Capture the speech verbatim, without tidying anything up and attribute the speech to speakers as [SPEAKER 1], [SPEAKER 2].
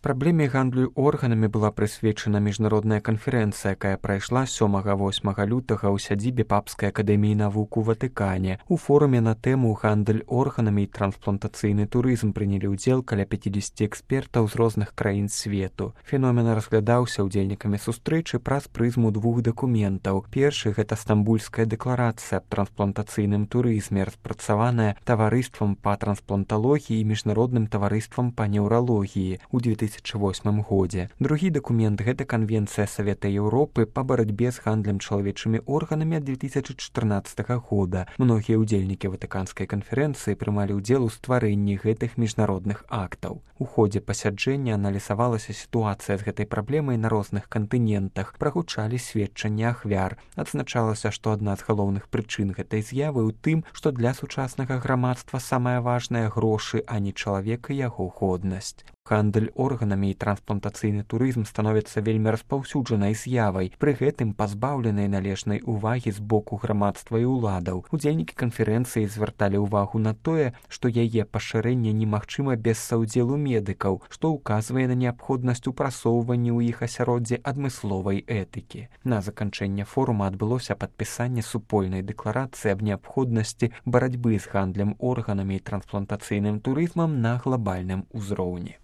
[SPEAKER 1] Праблеме гандлю органамі была прысвечана міжнародная канферэнцыя, якая прайшла сёмага-восьмага лютага ў сядзібе Папскай акадэміі навук у Ватыкане. У форуме на тэму гандаль органамі і трансплантацыйны турызм прынялі ўдзел каля пяцідзесяці экспертаў з розных краін свету. Феномен разглядаўся ўдзельнікамі сустрэчы праз прызму двух дакументаў. Першы — гэта стамбульская дэкларацыя аб трансплантацыйным турызме, распрацаваная таварыствам па транспланталогіі і міжнародным таварыствам па неўралогіі ў две тысячы восьмым годзе. Другі дакумент — гэта Канвенцыя Савета Еўропы па барацьбе з гандлем чалавечымі органамі ад две тысячы чатырнаццатага года. Многія ўдзельнікі Ватыканскай канферэнцыі прымалі ўдзел у стварэнні гэтых міжнародных актаў. У ходзе пасяджэння аналізавалася сітуацыя з гэтай праблемай на розных кантынентах, прагучалі сведчанні ахвяр. Адзначалася, што адна з галоўных прычын гэтай з'явы ў тым, што для сучаснага грамадства самае важнае — грошы, а не чалавек і яго годнасць. Гандаль органамі і трансплантацыйны турызм становіцца вельмі распаўсюджанай з'явай, пры гэтым пазбаўленай належнай увагі з боку грамадства і ўладаў. Удзельнікі канферэнцыі звярталі ўвагу на тое, што яе пашырэнне немагчыма без саўдзелу медыкаў, што ўказвае на неабходнасць упрасоўвання ў іх асяроддзе адмысловай этыкі. На заканчэнне форума адбылося падпісанне супольнай дэкларацыі аб неабходнасці барацьбы з гандлем органамі і трансплантацыйным турызмам на глабальным узроўні.